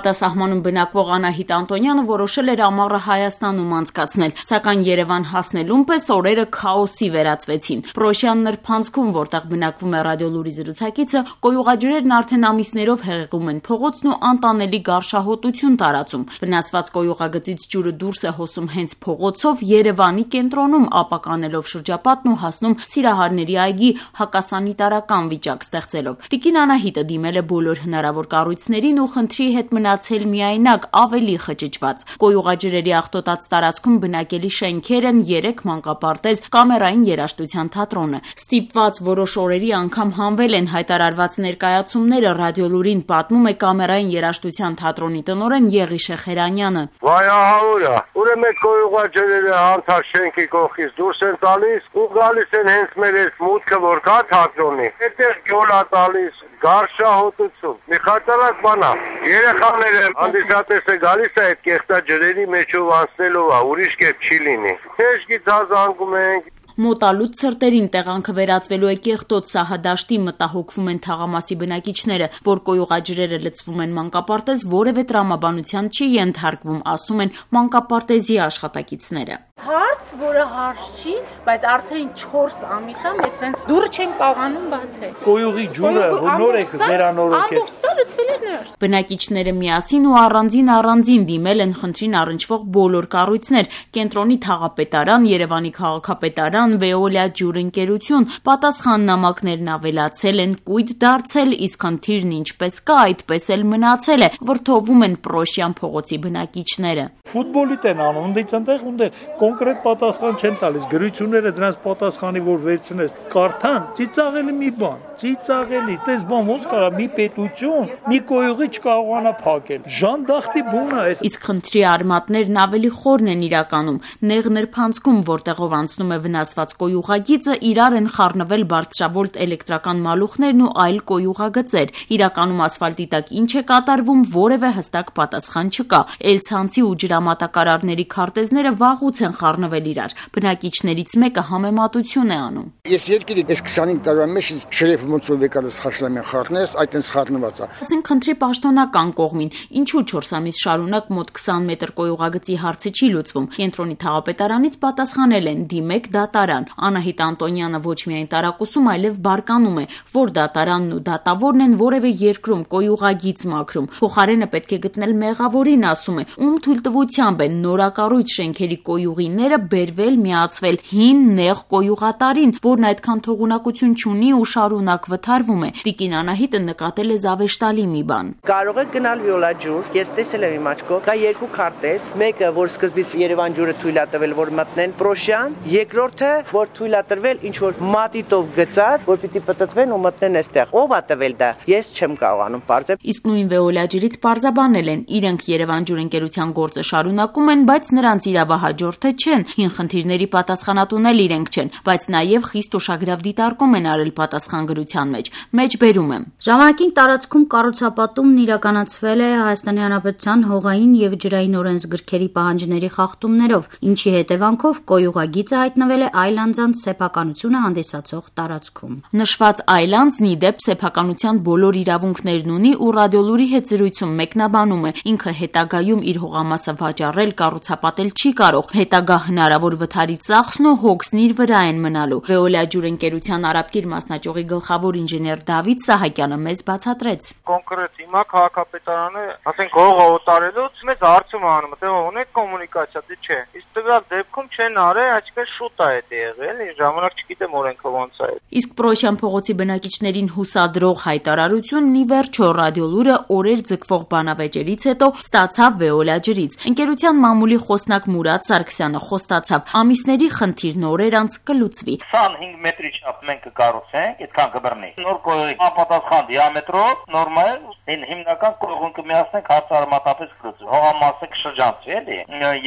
Արտասահմանում բնակվող Անահիտ Անտոնյանը որոշել էր ամառը Հայաստանում անցկացնել, սակայն Երևան հասնելուն պես օրերը քաոսի վերածվեցին։ Պրոշյան նրբանցքում, որտեղ բնակվում է Ռադիոլուրի զրուցակիցը, կոյուղաջրերն արդեն ամիսներով հեղեղում են փողոցն ու անտանելի գարշահոտություն տարածում։ Վնասված կոյուղագծից ջուրը դուրս է հոսում հենց փողոցով, Երևանի կենտրոնում ապականելով շրջապատն ու հասնում Սիրահարների այգի, հակասանիտարական վիճակ ստեղծելով։ Տիկին Անահիտը դիմել է բոլոր հնարավոր կառույցներին ու խնդրի հետ մնացել միայնակ, ավելի խճճված։ Կոյուղաջրերի աղտոտած տարածքում բնակելի շենքեր են, 3 մանկապարտեզ, կամերային երաժշտության թատրոնը։ Ստիպված որոշ օրերի անգամ հանվել են հայտարարված ներկայացումները, Ռադիոլուրին պատմում է կամերային երաժշտության թատրոնի տնօրեն Եղի Շեխերանյանը։ Վայահաուրա, ուրեմն այդ կոյուղաջրերը անթար շենքի կողքից դուրս են տալիս ու գալիս են հենց մեր այս մուտքը որ կա թատրոնի։ Այդտեղ գոլա տալիս գարշահոտություն։ Մի խայտարակ բան է։ Երեխաները հանդիսատեսը գալիս է այդ կեղտաջրերի մեջով անցնելով, ուրիշ կերպ չի լինի։ Թեժ գիծազանգում ենք։ Մոտալուտ ցրտերին տեղանքը վերածվելու է կեղտոտ սահադաշտի, մտահոգվում են թաղամասի բնակիչները, որ կոյուղաջրերը լցվում են մանկապարտեզ, որևէ տրամաբանության չի ենթարկվում, ասում են մանկապարտեզի աշխատակիցները։ Հարց, որը հարց չի, բայց արդեն 4 ամիս է մեզ սենց դուրը չեն կարողանում բացել։ Կոյուղի ջուրը նոր է վերանորոգել։ Ամբողջ սա լցվել էր ներս։ Բնակիչները միասին ու առանձին դիմել են խնդրին առնչվող բոլոր կառույցներ՝ կենտրոնի թաղապետարան, Երևանի քաղաքապետարան, Վեոլիա ջուրընկերություն, պատասխան նամակներն ավելացել են, կույտ դարձել, իսկ խնդիրն ինչպես կա, այդպես էլ մնացել է, վրդովում են Պրոշյան փողոցի բնակիչները։ Ֆուտբոլիտ են անում, այնտեղ կոնկրետ պատասխան չեն տալիս, գրությունները դրանց պատասխանի որ վերցնես, կարդան, ծիծաղելի մի բան, ծիծաղելի, տես բան ոնց կարա մի պետություն, մի կոյուղի չկարողանա փակել, ժանդախտի բուն է։ Իսկ խնդրի արմատներն ավելի խորն են իրականում, նեղ նրբանցքում, որտեղով անցնում է վնասված կոյուղագիծը, իրար են խառնվել բարձրավոլտ էլեկտրական մալուխներն ու այլ կոյուղագծեր։ Իրականում ասֆալտի տակ ինչ է կատարվում, որևէ հստակ պատասխան չկա։ Էլցանցի ու ջրամատակարարների քարտեզները վաղուց են խառնվել իրար։ Բնակիչներից մեկը համեմատություն է անում։ Ես երկիրի այս 25 տարվա մեջ շրեֆը ոնց որ վեկալս խաշլամեն խառնես, այդտենց խառնված է։ Ասենք խնդրի պաշտոնական կողմին, ինչու 4 ամիս շարունակ մոտ 20 մետր կոյուղագծի հարցը չի լուծվում։ Կենտրոնի թաղապետարանից պատասխանել են՝ դիմեք դատարան։ Անահիտ Անտոնյանը ոչ միայն տարակուսում, այլև բարկանում է, որ դատարանն ու դատավորն են որևէ երկրում կոյուղագիծ մաքրում։ Փոխարենը պետք է գտնել մեղավորին, ասում է, ում թույլտվությամբ են նորակառույց շենքերի կոյուղիները բերվել միացվել հին նեղ կոյուղատարին, որն այդքան թողունակություն չունի ու շարունակ վթարվում է։ Տիկին Անահիտը նկատել է զավեշտալի մի բան։ Կարող է գնալ Վիոլա ջուր, ես տեսել եմ իմ աչքով, կա 2 քարտեզ, մեկը որ սկզբից Երևան ջուրը թույլ է տվել որ մտնեն Պրոշյան, երկրորդը որ թույլ է տրվել ինչ որ մատիտով գծած, որ պիտի պտտվեն ու մտնեն այստեղ։ Ով է տվել դա։ Ես չեմ կարողանում բարձր։ Իսկ նույն Վեոլիա ջրից պարզաբանել են, իրենք Երևան ջուրընկերության գործը շարունակում են, բայց նրանց իրավահաջորդը չեն, հին խնդիրների պատասխանատուն էլ իրենք չեն, բայց նաև խիստ ուշագրավ դիտարկում են արել պատասխանագրության մեջ բերում եմ։ Ժամանակին տարածքում կառուցապատումն իրականացվել է Հայաստանի Հանրապետության հողային եւ ջրային օրենսգրքերի պահանջների խախտումներով, ինչի հետևանքով կոյուղագիծը հայտնվել է այլ անձանց սեփականությունը հանդիսացող տարածքում։ Նշված այլ անձն ի դեպ սեփականության բոլոր իրավունքներն ունի ու Ռադիոլուրի հետ զրույցում մեկնաբանում է, ինքը հետագայում իր հողամասը վաճառել, կառուցապատել չի կարող, հետագա հնարավոր վթարի ծախսն ու հոգսն իր վրա են մնալու։ Վեոլիա ջուրընկերության Արաբկիր մասնաճյուղի գլխավոր ինժեներ Դավիթ Սահակյանը մեզ բացատրեց։ Կոնկրետ հիմա քաղաքապետարանը, ասենք հողը օտարելուց մեզ հարցում է անում, թե ունեք կոմունիկացիա, դե չէ։ Իսկ տվյալ դեպքում չեն արել, այսինքն շուտ է դա եղել, ժամանակ չգիտեմ օրենքը ոնց է։ Իսկ Պրոշյան փողոցի բնակիչներին հուսադրող հայտարարությունն ի վերջո Ռադիոլուրը օրեր ձգվող բանավեճերից հետո ստացավ Վեոլիա ջրից։ Ընկերության մամուլի խոսնակ Մուրադ Սարգսյանը խոստացավ, ամիսների խնդիրն օրեր անց կլուծվի։ 25 մետրի չափ մենք կկառուցենք, այդքան կբռնի։ Նոր կոյուղի անպատասխան դիամետրով նորմալ հիմնական կոյուղուն կմիացնենք, հարցը արմատապես կլուծվի։ Հողամասը կշրջանցվի էլի։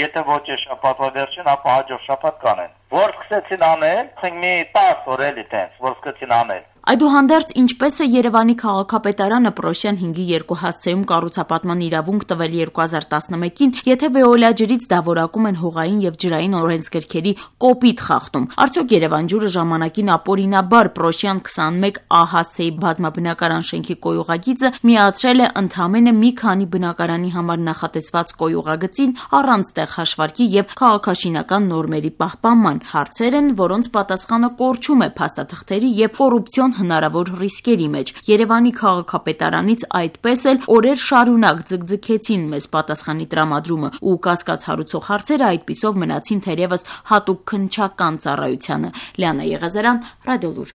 Եթե ոչ է շաբաթվա վերջին, ապա հաջորդ շաբաթ կանեն։ Որ սկսեցին անել, ասենք մի 10 օր էլի տենց, որ սկսեցին անել։ Այդուհանդերձ, ինչպես է Երևանի քաղաքապետարանը Պրոշյան 5-ի 2 հասցեում կառուցապատման իրավունք տվել 2011-ին, եթե Վեոլիա ջրից դավորակում են հողային եւ ջրային օրենսգրքերի կոպիտ խախտում։ Արդյոք Երևան ջուրը ժամանակին ապօրինաբար Պրոշյան 21A հասցեի բազմաբնակարան շենքի կոյուղագիծը միացրել է ընդամենը մի քանի բնակարանի համար նախատեսված կոյուղագծին առանց տեղ հաշվարկի եւ քաղաքաշինական նորմերի պահպանման։ Հարցեր են, որոնց պատասխանը կորչում է փաստաթղթերի եւ կոռուպցիոն հնարավոր ռիսկերի մեջ։ Երևանի քաղաքապետարանից այդպես էլ օրեր շարունակ ձգձգեցին մեզ պատասխանի տրամադրումը ու կասկած հարուցող հարցերը այդպիսով մնացին թերևս հատուկ քննչական ծառայությանը։ Լիանա Եղազարյան, Ռադիոլուր։